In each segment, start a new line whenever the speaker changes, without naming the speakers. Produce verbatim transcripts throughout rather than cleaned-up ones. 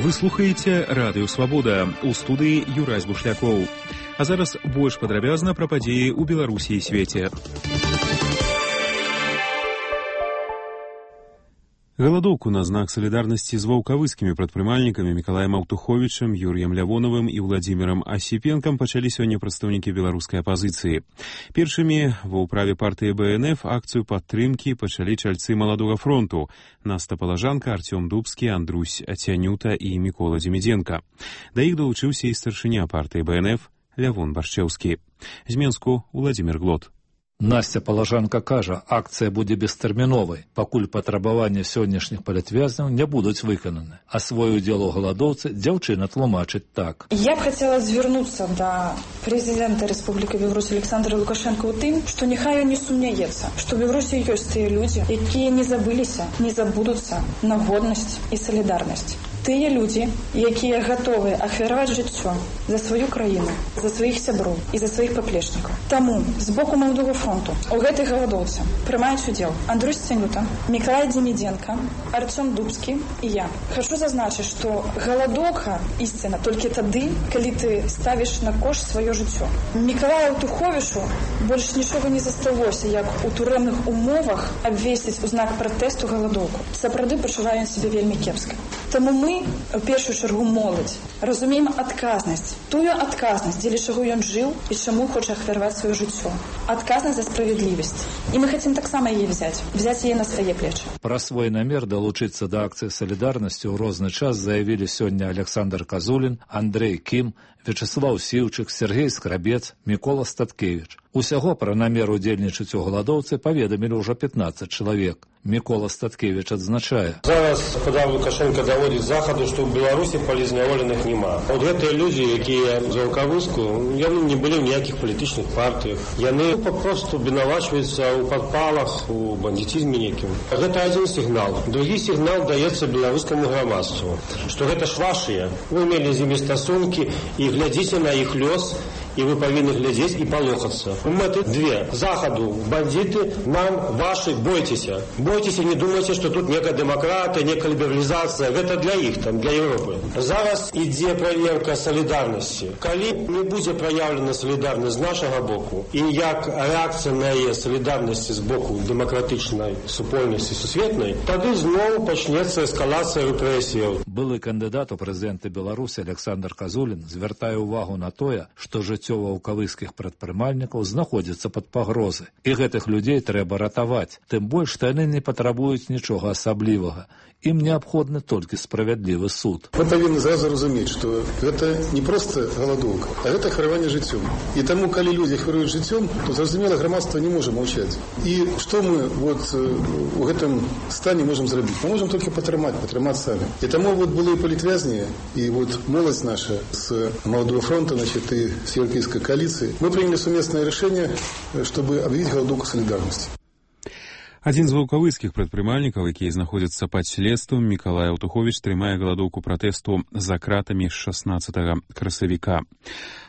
Вы слухаеце Радыё Свабода, у студыі Юрась Бушлякоў. А зараз больш падрабязна пра падзеі ў Беларусі і свеце. Галадоўку на знак салідарнасці з ваўкавыскімі прадпрымальнікамі Мікалаем Аўтуховічам, Юрыем Лявонавым і Владзімірам Асіпенкам пачалі сёння прадстаўнікі беларускай апазіцыі. Першымі ва ўправе партыі Бэ Эн Эф акцыю падтрымкі пачалі чальцы маладога фронту Наста Палажанка, Артём Дубскі, Андрусь Цянюта і Мікола Дзімідзенка. Да іх далучыўся і старшыня партыі Бэ Эн Эф Лявон Баршчэўскі. З Менску Владзімір Глот.
Настя Палажанка кажа, акцыя будзе бестэрміновай, пакуль патрабаванні сённяшніх палітвязняў не будуць выкананы. А свой удзел у галадоўцы дзяўчына тлумачыць так.
Я б хацела звярнуцца да прэзідэнта Рэспублікі Беларусь Александра Лукашэнка ў тым, што няхай не сумняецца, што ў Беларусі ёсць тыя людзі, якія не забыліся, не забудуцца на годнасць і салідарнасць. Тыя людзі, якія гатовыя ахвяраваць жыццё за сваю краіну, за сваіх сяброў і за сваіх паплечнікаў. Таму з боку маладога фронту у гэтай галадоўцы прымаюць удзел Андрусь Цянюта, Мікалай Дзімідзенка, Артём Дубскі і я. Хачу зазначыць, што галадоўка ісціна толькі тады, калі ты ставіш на кошт сваё жыццё. Мікалаю Аўтуховічу больш нічога не засталося, як у турэмных умовах абвесціць у знак пратэсту галадоўку. Сапраўды пачуваю сябе вельмі кепска. Таму мы, у першую чаргу моладзь, разумеем адказнасць, тую адказнасць, дзеля чаго ён жыў і чаму хоча ахвяраваць сваё жыццё. Адказнасць за справядлівасць. І мы хацім таксама яе взяць, взяць яе на свае плечы.
Пра свой намер далучыцца да акцыі салідарнасці ў розны час заявілі сёння Александр Казулін, Андрэй Кім, Вячеслаў Сіўчык, Сергей Скрабец, Мікола Статкевіч. Усяго пра намер удзельнічаць у галадоўцы паведамілі ўжо пятнаццаць чалавек. Мікола Статкевіч адзначае.
Зараз, калі Лукашенко даводзіць захаду, што ў Беларусі палізняволеных няма. От гэтыя людзі, якія за ваўкавыску, яны не былі ў ніякіх палітычных партыях. Яны папросту вінавачваюцца ў падпалах, у бандитизме некім. Гэта адзін сігнал. Другі сігнал даецца беларускаму грамадству, што гэта ж вашыя. Вы мелі з імі стасункі і глядзіце на іх лёс, і вы павінны глядзець і палохацца. Мэты две. Захаду, бандиты, нам, ваши, бойцеся. Бойцеся, не думайце, што тут некая дэмакратыя, некая лібералізацыя. Гэта для іх, там, для Европы. Зараз ідзе праверка салідарнасці. Калі не будзе праяўлена салідарнасць з нашага боку, і як рэакцыя на яе салідарнасці з боку дэмакратычнай супольнасці сусветнай, тады зноў пачнецца эскалацыя рэпрэсіяў.
Былы кандыдат у прэзідэнты Беларусі Александр Казулін звяртае ўвагу на тое, што жыццё ваўкавыскіх прадпрымальнікаў знаходзіцца пад пагрозай. І гэтых людзей трэба ратаваць. Тым больш, што яны не патрабуюць нічога асаблівага. Ім неабходны толькі справядлівы суд.
Мы павінны зразу разумець, што гэта не проста галадоўка, а гэта хвараванне жыццём. І таму, калі людзі хваруюць жыццём, то, зразумела, грамадства не можа маўчаць. І што мы вот у гэтым стане можам зрабіць? Мы можам толькі патрымаць, патрымаць самі. І таму вот былыя палітвязні і вот моладзь наша з маладого фронта, значит, і з еўрапейскай коаліцыі, мы прыняли сумеснае рашэнне, чтобы аб'явіць галадоўку салідарнасці.
Адзін з ваўкавыскіх прадпрымальнікаў, якія знаходзяцца пад следствам, Мікалай Аўтуховіч, трымае галадоўку пратэсту за кратамі з шаснаццатага красавіка.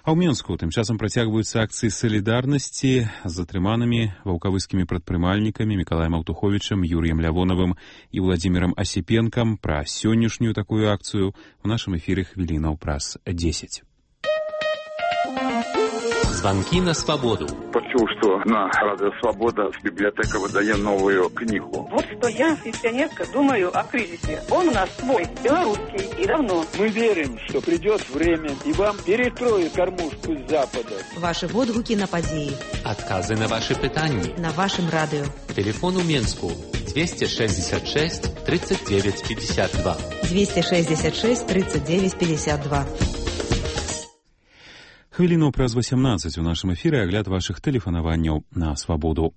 А ў Менску тым часам працягваюцца акцыі салідарнасці з затрыманымі ваўкавыскімі прадпрымальнікамі Мікалаем Аўтуховічам, Юрыем Лявонавым і Владзімірам Асіпенкам. Пра сённяшнюю такую акцыю у нашым эфіры хвілінаў праз дзесяць.
Звонки на свободу.
Почув, что на Радио Свобода библиотека выдает новую книгу.
Вот что я, пенсионерка, думаю о кризисе. Он у нас свой, белорусский, и давно.
Мы верим, что придет время, и вам перекроют кормушку с запада.
Ваши водгуки на подеи.
Отказы на ваши питания.
На вашем радио.
Телефон у Менску двести шестьдесят шесть тридцать девять пятьдесят два.
двести шестьдесят шесть тридцать девять пятьдесят два.
Хвіліну праз васямнаццаць у нашым эфіры агляд вашых тэлефанаванняў на свабоду.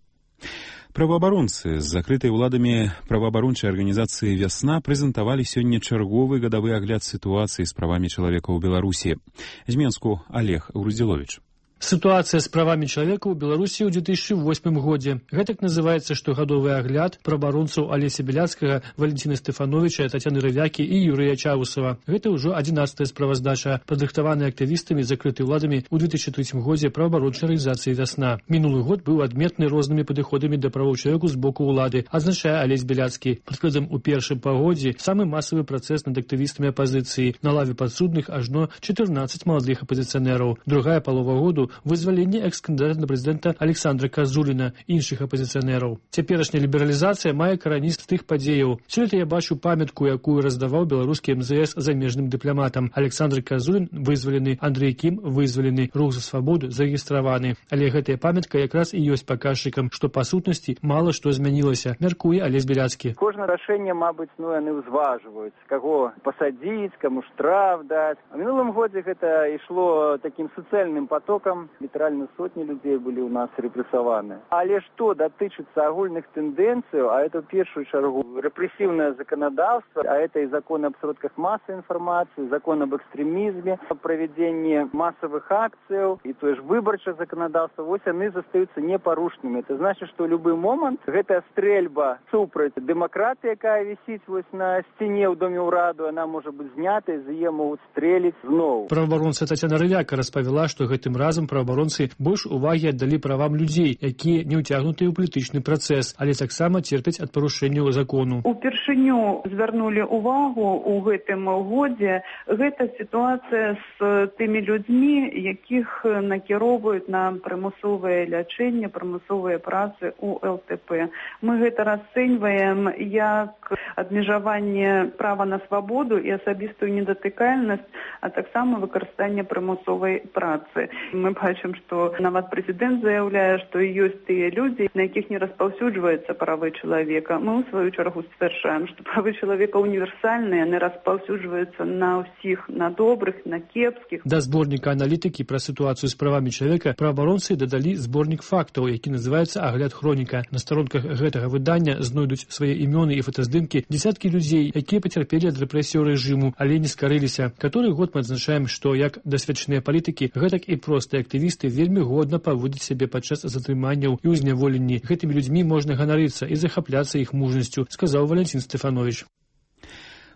Праваабаронцы з закрытай уладамі праваабарончай арганізацыі «Вясна» прэзентавалі сёння чарговы гадавы агляд сітуацыі з правамі чалавека ў Беларусі. З Менску Олег Груздзіловіч.
Ситуация с правами человека у Беларуси ў две тысячи восьмым годзе. Гэтак называется штогадовый огляд праваабаронцаў Алеся Беляцкага, Валентина Стефановича, Татьяны Рывякі і Юрыя Чаусова. Гэта ўжо адзінаццатая справаздача, падрыхтаваная актывістамі, закрытай уладамі ў две тысячи трэцім годзе праваабарончай арганізацыі «Вясна». Мінулы год быў адметны рознымі падыходамі да правоў чалавека з боку ўлады, адзначае Алесь Беляцкі. Прыкладам, у першым пагодзе самы масавы працэс над актывістамі апазіцыі. На лаве падсудных ажно чатырнаццаць маладых апазіцыянераў. Другая палова году вызваленне экс-кандыдата на прэзідэнта Александра Казуліна і іншых апазіцыянераў. Цяперашняя лібералізацыя мае карані з тых падзеяў. Сёлета я бачу памятку, якую раздаваў беларускі эм зэ эс замежным дыпламатам. Александр Казулін вызвалены, Андрей Кім вызвалены, Рух за свабоду зарэгістраваны. Але гэтая памятка якраз і ёсць паказчыкам, што па сутнасці мала што змянілася, мяркуе Алесь Беляцкі.
Кожнае рашэнне, мабыць, ну яны ўзважваюць, каго пасадзіць, каму штраф даць. У мінулым годзе гэта ішло такім суцэльным потокам. Літаральна сотні людей были у нас репрессованы. Але что датычыцца агульных тенденций, а это в первую чергу репрессивное законодавство, а это и закон об сродках массовой информации, закон об экстремизме, о проведении массовых акций и то же выборчее законодавство, вот они застаются непорушными. Это значит, что в любой момент эта стрельба супраць демократии, якая висит вот на стене в Доме ўраду, она может быть снята, и за ее могут стрелить зноў.
Праваабаронца Татьяна Рывяка распавяла, што гэтым разам праваабаронцы больш увагі аддалі правам людзей, якія не ўцягнутыя ў палітычны працэс, але таксама церпяць ад парушэнняў закону.
Упершыню звярнулі увагу ў гэтым годзе гэта сітуацыя з тымі людзьмі, якіх накіроўваюць на прымусовае лячэнне, прымусовыя працы ў эл тэ пэ. Мы гэта расцэньваем як абмежаванне права на свабоду і асабістую недатыкальнасць, а таксама выкарыстанне прымусовай працы. Мы бачым, што нават прэзідэнт заяўляе, што ёсць тыя людзі, на якіх не распаўсюджваюцца правы чалавека. Мы, у сваю чаргу, сцвярджаем, што правы чалавека універсальныя, яны распаўсюджваюцца на ўсіх, на добрых, на кепскіх.
Да зборніка аналітыкі пра сітуацыю з правамі чалавека праваабаронцы дадалі зборнік фактаў, які называецца «Агляд хроніка». На старонках гэтага выдання знойдуць свае імёны і фотаздымкі дзесяткі людзей, якія пацярпелі ад рэпрэсіяў рэжыму, але не скарыліся. Каторы год мы адзначаем, што як дасведчаныя палітыкі, гэтак і простыя актывісты вельмі годна паводзяць сябе падчас затрыманняў і ўзняволенні. Гэтымі людзьмі можна ганарыцца і захапляцца іх мужнасцю, сказаў Валентин Стефанович.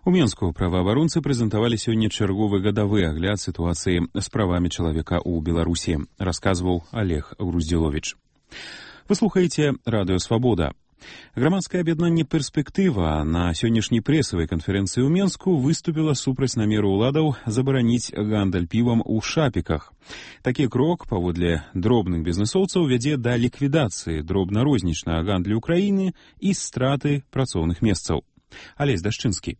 У Менску праваабаронцы прэзентавалі сёння чарговы гадавы агляд сітуацыі з правамі чалавека ў Беларусі, расказваў Олег Груздзіловіч. Вы слухаеце радыё «Свабода». Грамадскае аб'яднанне «Перспектыва» на сённяшняй прэсавай канферэнцыі ў Менску выступіла супраць намеру ўладаў забараніць гандаль півам у шапіках. Такі крок, паводле дробных бізнэсоўцаў, вядзе да ліквідацыі дробна-рознічнага гандлю краіны і страты працоўных месцаў. Алесь Дашчынскі.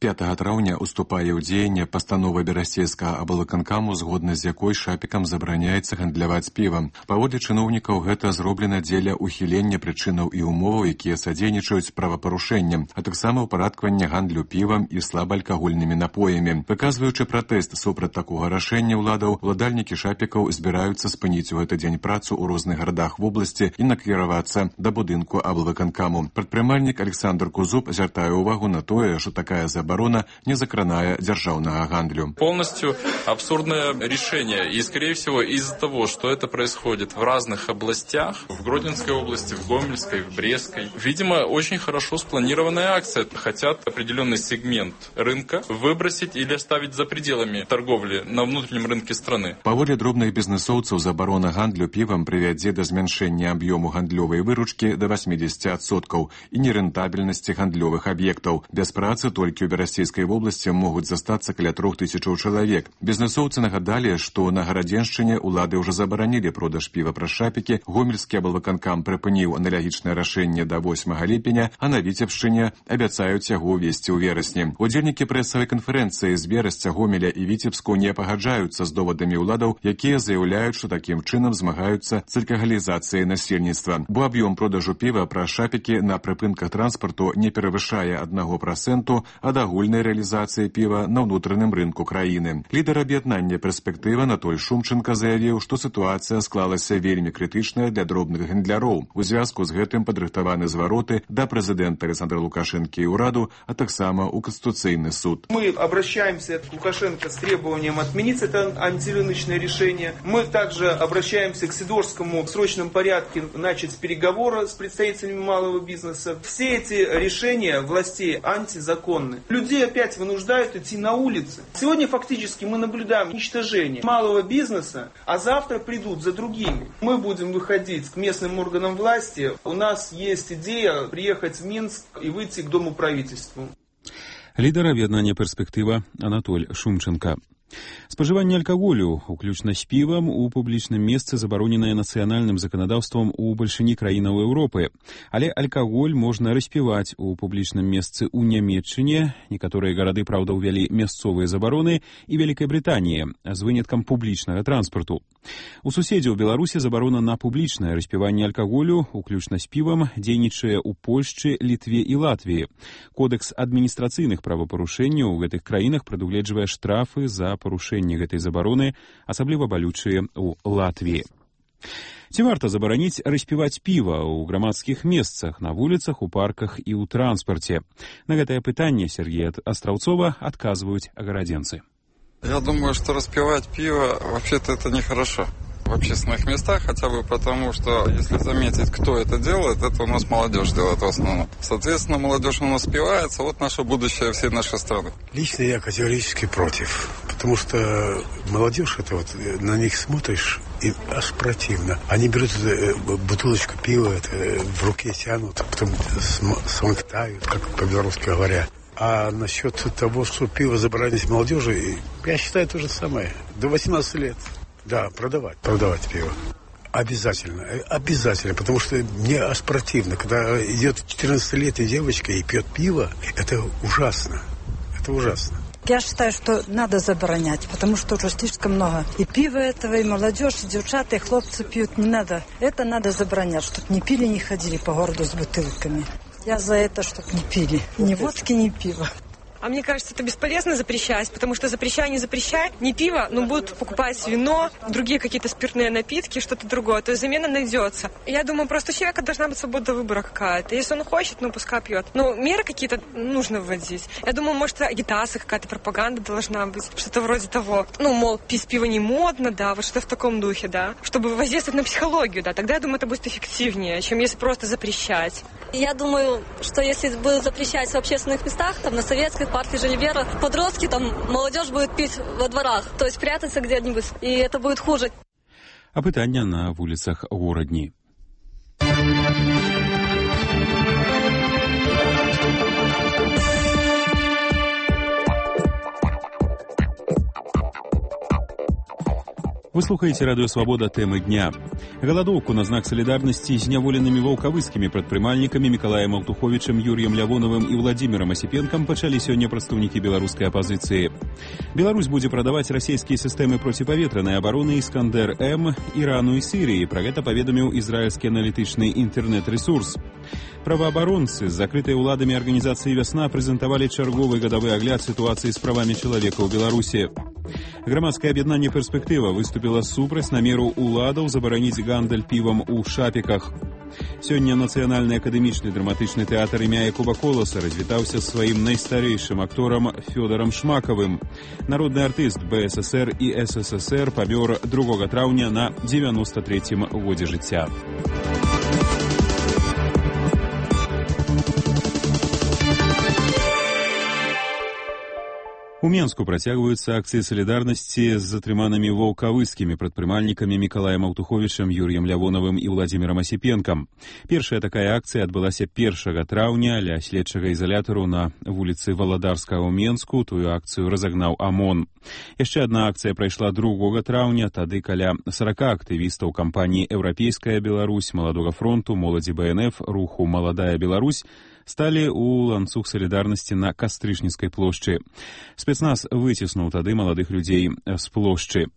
пятага траўня уступае ў дзеянне пастанова берасцейскага аблвыканкаму, згодна з якой шапікам забараняецца гандляваць півам. Паводле чыноўнікаў гэта зроблена дзеля ўхілення прычынаў і умоваў, якія садзейнічаюць правапарушэнням, а таксама ўпарадкавання гандлю півам і слабаалкагольнымі напоямі. Выказваючы пратэст супраць такога рашэння ўладаў, уладальнікі шапікаў збіраюцца спыніць у гэты дзень працу ў розных гарадах вобласці і накіравацца да будынку аблвыканкаму. Прадпрымальнік Александр Кузуб звяртае ўвагу на тое, што такая забарона оборона не закранае дзяржаўнага гандлю.
Полностью абсурдное решение. И, скорее всего, из-за того, что это происходит в разных областях, в Гродненской области, в Гомельской, в Брестской, видимо, очень хорошо спланированная акция. Хотят определенный сегмент рынка выбросить или оставить за пределами торговли на внутреннем рынке страны.
Паводле дробных бізнэсоўцаў, забарона гандлю півам прывядзе да змяншэння аб'ёму гандлёвай выручкі да восемьдесят адсоткаў і нерэнтабельнасці гандлёвых аб'ектаў. Без працы толькі ў Берасцейскай вобласці могуць застацца каля трох тысячаў чалавек. Бізнэсоўцы нагадалі, што на Гарадзеншчыне ўлады ўжо забаранілі продаж піва праз шапікі, гомельскі аблвыканкам прыпыніў аналагічнае рашэнне да восьмага ліпеня, а на Віцебшчыне абяцаюць яго ўвесці ў верасні. Удзельнікі прэсавай канферэнцыі з Берасця, Гомеля і Віцебску не пагаджаюцца з довадамі ўладаў, якія заяўляюць, што такім чынам змагаюцца з алкагалізацыяй насельніцтва. Бо аб'ём продажу піва праз шапікі на прыпынках транспарту не перавышае аднаго працэнту ад агульнай рэалізацыі піва на ўнутраным рынку краіны. Лідар аб'яднання «Перспектыва» Анатоль Шумченко заявіў, што сітуацыя склалася вельмі крытычная для дробных гандляроў. У звязку з гэтым падрыхтаваны звароты да прэзідэнта Александра Лукашэнкі і ўраду, а таксама ў Конституцыйны суд.
Мы обращаемся к Лукашенко с требованием отменить это антирыночное решение. Мы также обращаемся к Сидорскому в срочном порядке начать переговоры с представителями малого бизнеса. Все эти решения властей антизаконны. Людей опять вынуждают идти на улицы. Сегодня фактически мы наблюдаем уничтожение малого бизнеса, а завтра придут за другими. Мы будем выходить к местным органам власти. У нас есть идея приехать в Минск и выйти к Дому правительству.
Лідар аб'яднання «Перспектыва» Анатоль Шумченко. Спажыванне алкаголю, уключна з півам, у публічным месцы забароненае нацыянальным заканадаўствам у бальшыні краінаў Еўропы. Але алкаголь можна распіваць у публічным месцы ў Нямецчыне, некаторыя гарады, праўда, ўвялі мясцовыя забароны, і Вялікай Брытаніі, з выняткам публічнага транспарту. У суседзяў Беларусі забарона на публічнае распіванне алкаголю, уключна з півам, дзейнічае ў Польшчы, Літве і Латвіі. Кодекс адміністрацыйных правапарушэнняў у гэтых краінах прадугледжвае штрафы за парушэнне гэтай забароны, асабліва балючыя ў Латвіі. Ці варта забараніць распіваць піва ў грамадскіх месцах, на вуліцах, у парках і ў транспарце? На гэтае пытанне Сергея Астраўцова адказваюць агарадзенцы.
Я думаю, что распивать пиво вообще-то это нехорошо в общественных местах, хотя бы потому, что, если заметить, кто это делает, это у нас молодежь делает в основном. Соответственно, молодежь у нас спивается, вот наше будущее всей нашей страны.
Лично я категорически против, потому что молодежь, это вот, на них смотришь, и аж противно. Они берут бутылочку пива, это в руке тянут, а потом смоктают, как по-белорусски говоря. А насчет того, что пиво заборонить молодежи, я считаю то же самое. До восемнадцати лет. Да, продавать, продавать пиво. Обязательно, обязательно, потому что мне аж противно, когда идет четырнадцатилетняя девочка и пьет пиво, это ужасно, это ужасно.
Я считаю, что надо заборонять, потому что уже слишком много и пива этого, и молодежь, и девчата, и хлопцы пьют. Не надо, это надо заборонять, чтобы не пили, не ходили по городу с бутылками. Я за это, чтобы не пили, ни водки, ни пива.
А мне кажется, это бесполезно запрещать, потому что запрещай, не запрещай, не пиво, но будут покупать вино, другие какие-то спиртные напитки, что-то другое. То есть замена найдется. Я думаю, просто у человека должна быть свобода выбора какая-то. Если он хочет, ну пускай пьет. Но меры какие-то нужно вводить. Я думаю, может, агитация какая-то, пропаганда должна быть, что-то вроде того. Ну, мол, пить пиво не модно, да, вот что-то в таком духе, да. Чтобы воздействовать на психологию, да. Тогда, я думаю, это будет эффективнее, чем если просто запрещать.
Я думаю, что если будут запрещать в общественных местах, там, на Советской, парке Жильбера, подростки, там, молодежь будет пить во дворах, то есть прятаться где-нибудь, и это будет хуже.
Апытання на вуліцах горадні. Вы слухаете радыё «Свабода», тэмы дня. Галадоўку на знак салідарнасці з зняволенымі ваўкавыскімі прадпрымальнікамі Мікалаем Аўтуховічам, Юрыем Лявоновым і Владзімірам Асіпенкам пачалі сёння прадстаўнікі беларускай апазіцыі. Беларусь будзе прадаваць расійскія сістэмы проціпаветранай абароны «Іскандэр-М» Ірану і Сірыі. Пра гэта паведаміў ізраільскі аналітычны інтэрнэт-рэсурс. Праваабаронцы з закрытай уладамі арганізацыі «Вясна» прэзентавалі чарговы гадавы агляд сітуацыі з правамі чалавека ў Беларусі. Грамадскае аб'яднанне «Перспектыва» выступіла супраць намеру уладаў забараніць гандаль півам у шапіках. Сёння Нацыянальны акадэмічны драматычны тэатр імя Якуба Коласа развітаўся з сваім найстарэйшым акторам Фёдарам Шмакавым. Народны артыст Бэ Эс Эс Эр і Эс Эс Эс Эр памёр другога траўня на дзевяноста трэцім годзе жыцця. У Менску працягваюцца акцыі салідарнасці з затрыманымі ваўкавыскімі прадпрымальнікамі Мікалаем Аўтуховічам, Юрыем Лявоновым і Владзімірам Асіпенкам. Першая такая акцыя адбылася першага траўня ля следчага ізалятару на вуліцы Валадарскага ў Менску. Тую акцыю разагнаў ОМОН. Яшчэ адна акцыя прайшла другога траўня, тады каля сарака актывістаў кампаніі «Еўрапейская Беларусь», Маладога фронту, моладзі Бэ Эн Эф, руху «Маладая Беларусь» сталі ў ланцуг салідарнасці на Кастрычніцкай плошчы. Спецназ выціснуў тады маладых людзей з плошчы.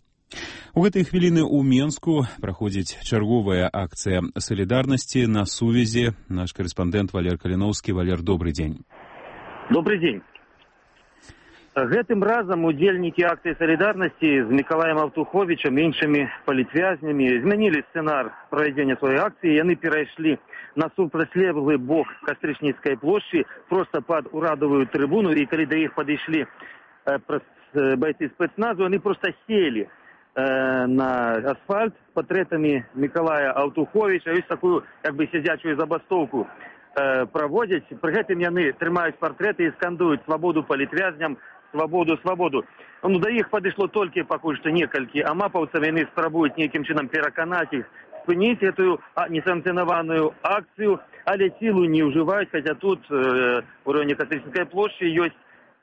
У гэтыя хвіліны ў Менску праходзіць чарговая акцыя салідарнасці. На сувязі наш карэспандэнт Валер Каліноўскі. Валер, добрый дзень.
Добрый день. Гэтым разам удзельнікі акцыі салідарнасці з Мікалаем Аўтуховічам і іншымі палітвязнямі змянілі сцэнар правядзення сваёй акцыі. Яны перайшлі на супрацьлеглы бок Кастрычніцкай плошчы проста пад урадавую трыбуну, і калі да іх падышлі э, байцы спецназу, яны проста селі э, на асфальт з партрэтамі Мікалая Аўтуховіча, ёсць такую як бы сядзячую забастоўку э, праводзяць. Пры гэтым яны трымаюць партрэты і скандуюць свабоду палітвязням, свабоду, свабоду. Ну, да іх падышло толькі пакуль што некалькі амапаўцаў, яны спрабуюць нейкім чынам пераканаць іх спыніць гэтую несанкцыянаваную акцыю, але сілу не ўжываюць, хаця тут э, у раёне Кастрычніцкай плошчы ёсць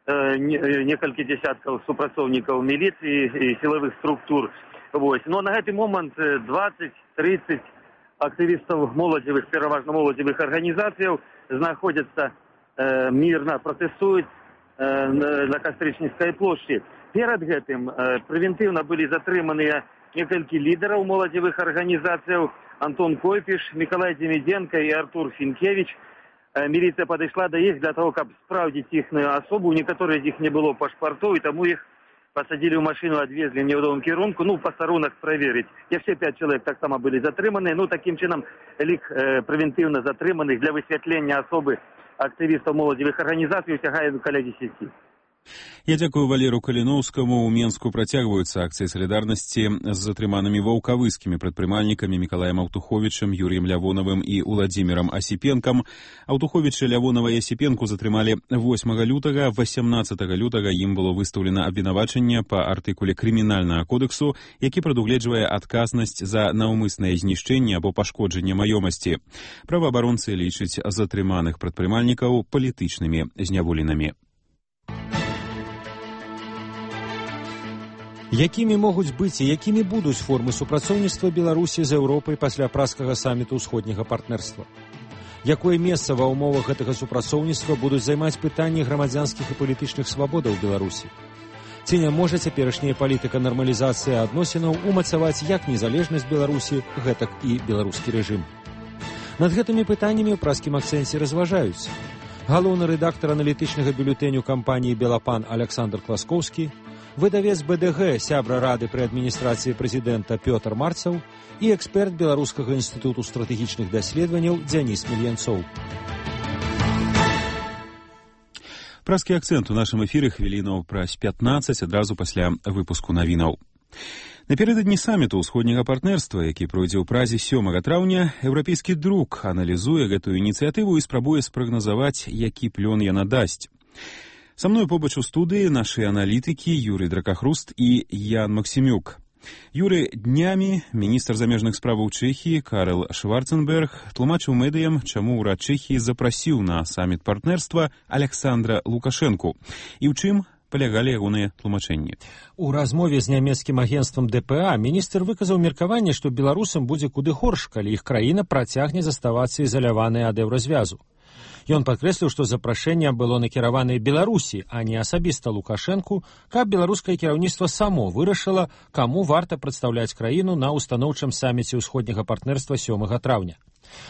э, не, некалькі дзесяткаў супрацоўнікаў міліцыі і сілавых структур. Вось. Но на гэты момант дваццаць-трыццаць актывістаў моладзевых, пераважна моладзевых арганізацыяў знаходзяцца э, мірна, пратэстуюць на Кастрычніцкай плошчы. Перад гэтым прэвентыўна былі затрыманыя некалькі лідараў моладзевых арганізацыяў: Антон Койпіш, Мікалай Дземідзенка і Артур Фінкевіч. Міліцыя падышла да іх для того, каб спраўдзіць іхную асобу. У некаторых з іх не было пашпартоў, і таму іх пасадзілі ў машыну, адвезлі ў невядомым кірунку, ну, пастарунак праверыць. Яшчэ пяць чалавек таксама былі затрыманыя. Ну, такім чынам, лік э, прэвентыўна затрыманых для высвятлення асобы актывістаў моладзевых арганізацый сягае каля дзесяці.
Я дзякую Валеру Каліноўскаму. У Менску працягваюцца акцыі салідарнасці з затрыманымі ваўкавыскімі прадпрымальнікамі Мікалаем Аўтуховічам, Юрыем Лявонавым і Уладзімірам Асіпенкам. Аўтуховіча, Лявонава і Асіпенку затрымалі восьмага лютага. восемнаццатага лютага ім было выстаўлена абвінавачанне па артыкуле крымінальнага кодексу, які прадугледжвае адказнасць за наўмыснае знішчэнне або пашкоджанне маёмасці. Праваабаронцы лічаць затрыманых прадпрымальнікаў палітычнымі зняволенымі.
Якімі могуць быць і якімі будуць формы супрацоўніцтва Беларусі з Еўропай пасля празкага саміту ўсходняга партнерства? Якое месца ва ўмовах гэтага супрацоўніцтва будуць займаць пытанні грамадзянскіх і палітычных свабодаў Беларусі? Ці не можа цяперашняя палітыка нармалізацыі адносінаў умацаваць як незалежнасць Беларусі, гэтак і беларускі рэжым? Над гэтымі пытаннямі ў празкім акцэнце разважаюць галоўны рэдактар аналітычнага бюлетэню кампаніі «Белапан» Александр Класкоўскі, выдавец бэ дэ гэ, сябра рады пры адміністрацыі прэзідэнта Пётр Марцаў і эксперт Беларускага інстытуту стратэгічных даследаванняў Дзяніс Мільянцоў.
Празкі акцэнт у нашым эфіры хвілінаў праз пятнаццаць адразу пасля выпуску навінаў. Напярэдадні саміту ўсходняга партнерства, які пройдзе ў Празе сёмага траўня, еўрапейскі друк аналізуе гэтую ініцыятыву і спрабуе спрагназаваць, які плён яна дасць. Са мной побач у студыі нашы аналітыкі Юрый Дракахруст і Ян Максімюк. Юрый, днямі міністр замежных справаў Чэхіі Карл Шварценберг тлумачыў медыям, чаму ўрад Чэхіі запрасіў на саміт партнерства Александра Лукашэнку. І ў чым палягалі ягоныя тлумачэнні?
У размове з нямецкім агенцтвам дэ пэ а міністр выказаў меркаванне, што беларусам будзе куды горш, калі іх краіна працягне заставацца ізаляванай ад еўразвязу. Ён падкрэсліў, што запрашэнне было накіраванае Беларусі, а не асабіста Лукашэнку, каб беларускае кіраўніцтва само вырашыла, каму варта прадстаўляць краіну на устаноўчым саміце ўсходняга партнерства сёмага траўня.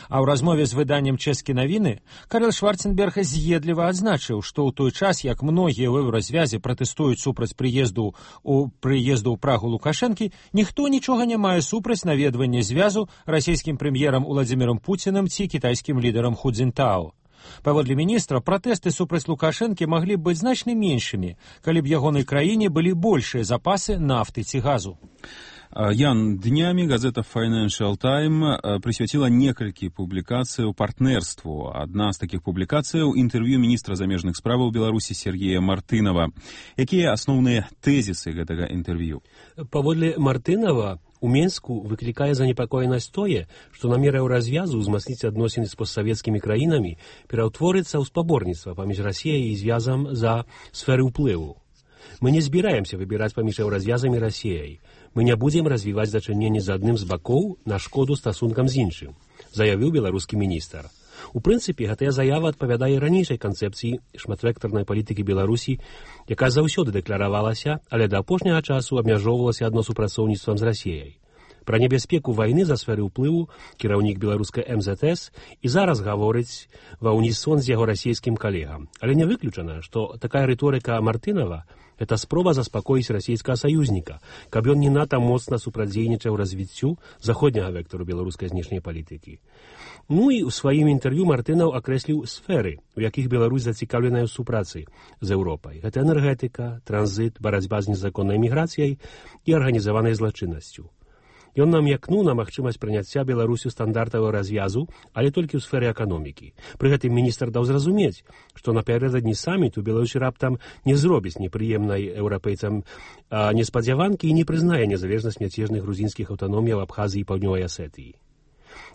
А ў размове з выданнем «Чэскі навіны» Карл Шварценберг з'едліва адзначыў, што ў той час, як многія ў еўразвязе пратэстуюць супраць прыезду ў прыезду ў Прагу Лукашэнкі, ніхто нічога не мае супраць наведвання звязу расійскім прэм'ерам Уладзімірам Пуцінам ці кітайскім лідарам Ху Цзінтао. Паводле міністра, пратэсты супраць Лукашэнкі маглі б быць значна меншымі, калі б ягонай краіне былі большыя запасы нафты ці газу.
Ян, днямі газета Financial Times прысвяціла некалькі публікацыяў партнерству. Адна з такіх публікацыяў — інтэрв'ю міністра замежных справаў Беларусі Сергея Мартынова. Якія асноўныя тэзісы гэтага інтэрв'ю?
Паводле Мартынова, у Менску выклікае занепакоенасць тое, што намер еўразвязу ўзмацніць адносіны з постсавецкімі краінамі пераўтворыцца ў спаборніцтва паміж Расіяй і звязам за сферы ўплыву. Мы не збіраемся выбіраць паміж еўразвязам і Расіяй. Мы не будзем развіваць дачыненні з адным з бакоў на шкоду стасункам з іншым, заявіў беларускі міністр. У прынцыпе, гэтая заява адпавядае ранейшай канцэпцыі шматвектарнай палітыкі Беларусі, якая заўсёды дэкларавалася, але да апошняга часу абмяжоўвалася адно супрацоўніцтвам з Расіяй. Пра небяспеку вайны за сферы ўплыву кіраўнік беларускай эм зэт эс і зараз гаворыць ва ўнісон з яго расійскім калегам. Але не выключана, што такая рыторыка Мартынова – это спроба заспакоіць расійскага саюзніка, каб ён не надта моцна супрацьдзейнічаў развіццю заходняга вектару беларускай знешняй палітыкі. Ну і ў сваім інтэрв'ю Мартынаў акрэсліў сферы, у якіх Беларусь зацікаўленая ў супрацы з Еўропай. Гэта энергетыка, транзіт, барацьба з незаконнай міграцыяй і арганізаванай злачыннасцю. Ён намякнуў на магчымасць прыняцця Беларусю стандартавого развязу, але толькі ў сферы эканомікі. Пры гэтым міністр даў зразумець, што напярэдадні саміту Беларусь раптам не зробіць непрыемнай еўрапейцам неспадзяванкі і не прызнае незалежнасць мяцежных грузінскіх аўтаноміяў Абхазіі і Паўднёвай Асетыі.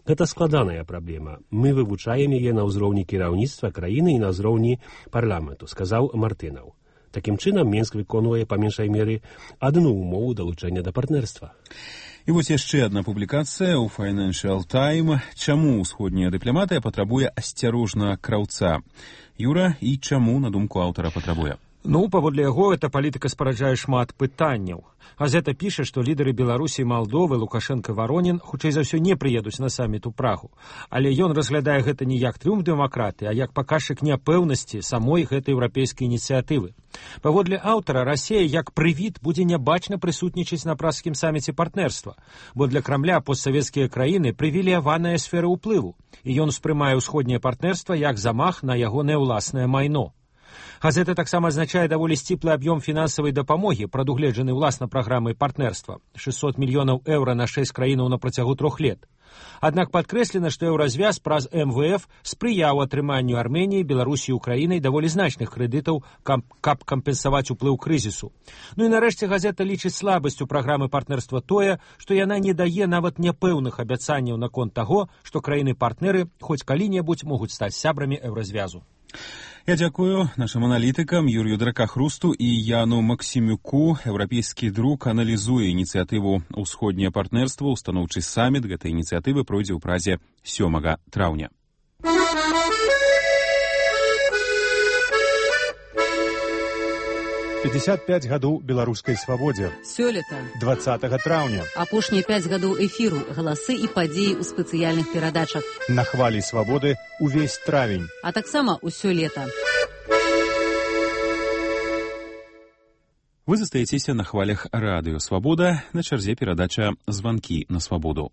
Гэта складаная праблема. Мы вывучаем яе на ўзроўні кіраўніцтва краіны і на ўзроўні парламенту, сказаў Мартынаў. Такім чынам, Мінск выконвае па меншай меры адну ўмову далучэння да партнерства.
І вось яшчэ адна публікацыя ў Financial Times. Чаму ўсходняя дыпламатыя патрабуе асцярожна краўца? Юра, і чаму, на думку аўтара, патрабуе?
Ну, паводле яго, эта палітыка спараджае шмат пытанняў. Газета піша, што лідары Беларусі і Малдовы, Лукашенко і Варонін, хутчэй за ўсё, не прыедуць на саміт у Прагу. Але ён разглядае гэта не як трыумф дэмакраты, а як паказчык няпэўнасці самой гэтай еўрапейскай ініцыятывы. Паводле аўтара, Расія як прывід будзе нябачна прысутнічаць на пражскім саміце партнерства, бо для Крамля постсавецкія краіны прывілеяваная сфера ўплыву, і ён успрымае ўсходняе партнерства як замах на ягонае ўласнае майно. Газета таксама азначае даволі сціплы аб'ём фінансавай дапамогі, прадугледжаны ўласна праграмай партнерства – шэсцьсот мільёнаў еўра на шэсць краінаў на працягу трох лет. Аднак падкрэслена, што еўразвяз праз эм вэ эф спрыяў атрыманню Арменіі, Беларусі і Украінай даволі значных крэдытаў, каб кампенсаваць уплыў крызісу. Ну і нарэшце газета лічыць слабасцю праграмы партнерства тое, што яна не дае нават няпэўных абяцанняў наконт таго, што краіны-партнеры хоць калі-небудзь могуць стаць сябрамі еўразвязу.
Я дзякую нашим аналітыкам Юрію Дракахрусту і Яну Максімюку. Еўрапейскі друк аналізуе ініцыятыву «Усходняе партнерство». Устаноўчы саміт гэтай ініцыятывы пройдзе ў Празе сёмага траўня.
пятьдесят пять гадоў беларускай свабодзе.
Сёлета.
двадцатага траўня.
Апошнія пяць гадоў эфіру, галасы і падзеі ў спецыяльных перадачах.
На хвалі свабоды увесь травень.
А таксама ўсё лета.
Вы застаецеся на хвалях радыё «Свабода», на чарзе перадача «Званкі на свабоду».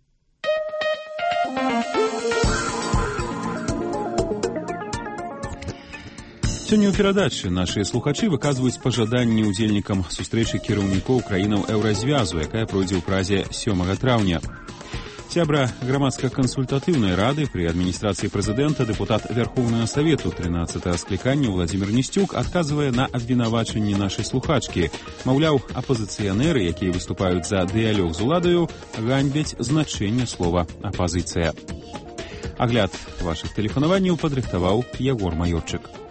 Сёння ў перадачы нашыя слухачы выказваюць пажаданні ўдзельнікам сустрэчы кіраўнікоў краінаў еўразвязу, якая пройдзе ў Празе сёмага траўня. Сябра грамадска-кансультатыўнай рады пры адміністрацыі прэзідэнта, дэпутат Вярхоўнага Савету трынаццатага склікання Владзімір Несцюк адказвае на абвінавачанні нашай слухачкі. Маўляў, апазіцыянеры, якія выступаюць за дыялог з уладаю, ганьбяць значэнне слова «апазіцыя». Агляд вашых тэлефанаванняў падрыхтаваў Ягор Маёрчык.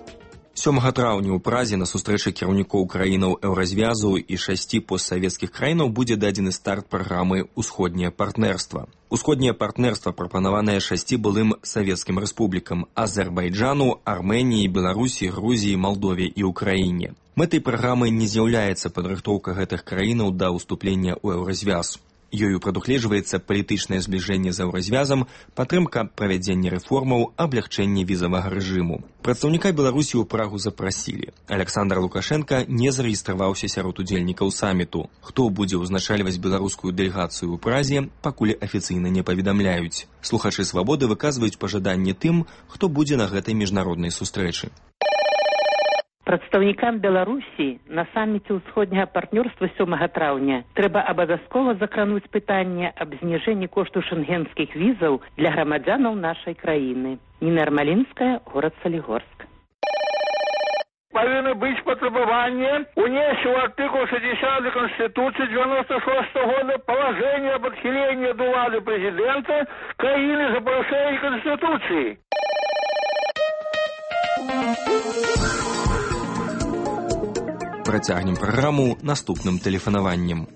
сёмага траўня ў Празе на сустрэчы кіраўнікоў краінаў еўразвязу і шасці постсавецкіх краінаў будзе дадзены старт праграмы «Усходняе партнерства». Усходняе партнерства прапанаванае шасці былым савецкім рэспублікам – Азербайджану, Арменіі, Беларусі, Грузіі, Малдове і Украіне. Мэтай праграмы не з'яўляецца падрыхтоўка гэтых краінаў да ўступлення ў еўразвяз. Ёю прадугледжваецца палітычнае збліжэнне з еўразвязам, падтрымка правядзення рэформаў, аблягчэнне візавага рэжыму. Прадстаўніка Беларусі ў Прагу запрасілі. Александр Лукашенко не зарэгістраваўся сярод удзельнікаў саміту. Хто будзе ўзначальваць беларускую дэлегацыю ў Празе, пакуль афіцыйна не паведамляюць. Слухачы «Свабоды» выказваюць пажаданні тым, хто будзе на гэтай міжнароднай сустрэчы.
Прадстаўнікам Беларусі на саміце ўсходняга партнёрства сёмага траўня трэба абавязкова закрануць пытанне аб зніжэнні кошту шэнгенскіх візаў для грамадзянаў нашай краіны. Ніна Ярмалінская, горад Салігорск.
Павінны быць патрабаванне унесці ў артыкул шестьдесят Конституцыі девяносто шестого года палажэнне аб адхіленні ад улады прэзідэнта краіны за парушэнне Конституцыі.
Протягнем программу наступным телефонованием.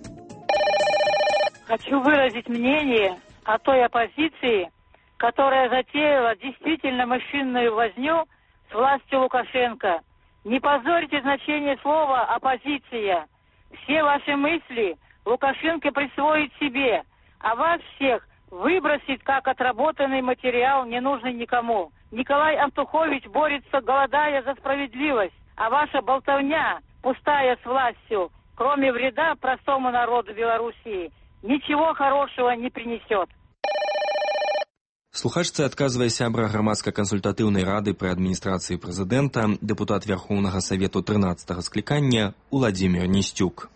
Хочу выразить мнение о той оппозиции, которая затеяла действительно мышиную возню с властью Лукашенко. Не позорьте значение слова «оппозиция». Все ваши мысли Лукашенко присвоит себе, а вас всех выбросить как отработанный материал, не нужный никому. Николай Антухович борется, голодая за справедливость, а ваша болтовня, пустая с властью, кроме вреда простому народу Белоруссии, ничего хорошего не принесет.
Слухачцы адказвае сябра грамадска-кансультатыўнай рады пры адміністрацыі прэзідэнта, дэпутат Верхоўнага Савету трынаццатага склікання Уладзімір Ністюк.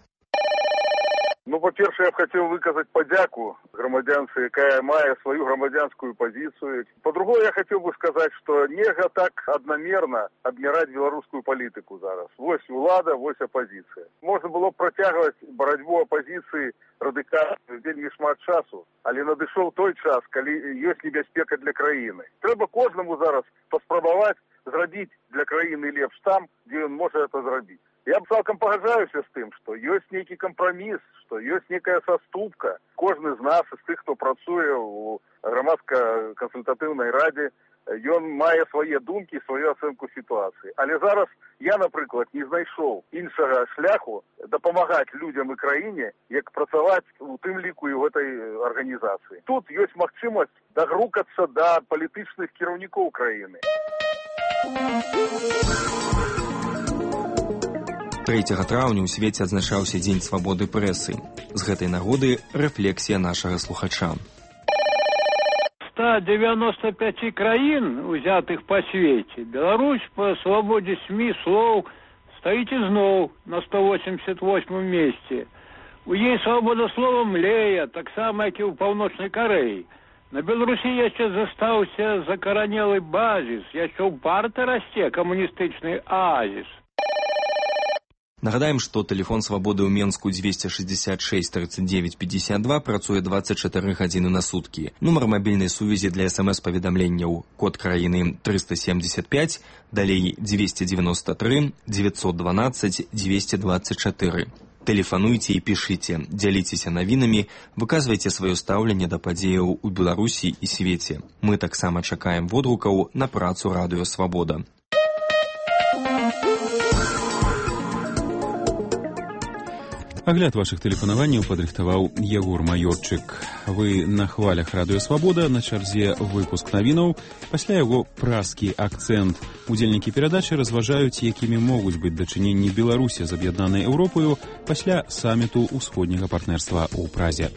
Ну, по-перше, я б хотел выказать подяку громадянце, якая мае свою громадянскую позицию. По-другому, я хотел бы сказать, что нельзя так одномерно обмирать белорусскую политику зараз. Вось улада, вось оппозиция. Можно было протягивать борьбу оппозиции радикально вельмі шмат часу, але надышоў той час, калі ёсць небяспека для краіны. Трэба кожнаму зараз паспрабаваць зрабіць для краіны лепш там, дзе ён можа это зрабіць. Я б цалкам пагаджаюся з тым, што ёсць нейкі кампраміс, што ёсць некая саступка. Кожны з нас, з тых, хто працуе ў грамадска-кансультатыўнай радзе, ён мае свае думкі, сваю ацэнку сітуацыі. Але зараз я, напрыклад, не знайшоў іншага шляху дапамагаць людзям і краіне, як працаваць у тым ліку і ў гэтай арганізацыі. Тут ёсць магчымасць дагрукацца да палітычных кіраўнікоў краіны.
трэцяга траўня ў свеце адзначаўся дзень свабоды прэсы. З гэтай нагоды рэфлексія нашага слухача.
ста девяноста пяти краін, узятых па свеце, Беларусь па свабодзе СМІ слоў стаіць ізноў на сто восемьдесят восьмым месце. У ёй свабода слова млее, таксама як і ў Паўночнай Карэі. На Беларусі яшчэ застаўся закаранелы базіс, яшчэ ўпарта расце камуністычны аазіс.
Нагадаем, што тэлефон свабоды ў Менску двести шестьдесят шесть тридцать девять пятьдесят два працуе двадцать четыре гадзіны на суткі. Нумар мабільнай сувязі для смс-паведамленняў код краіны триста семьдесят пять, далей двести девяносто три девятьсот двенадцать двести двадцать четыре. Тэлефануйце і пішыце, дзяліцеся навінамі, выказвайце сваё стаўленне да падзеяў у Беларусі і свеце. Мы таксама чакаем водгукаў на працу радыё Свабода.
Агляд вашых тэлефанаванняў падрыхтаваў Егор Маёрчык. Вы на хвалях радыё Свабода, на чарзе выпуск навінаў, пасля яго празкі акцэнт. Удзельнікі перадачы разважаюць, якімі могуць быць дачыненні Беларусі з аб'яднанай Еўропаю пасля саміту ўсходняга партнерства ў Празе.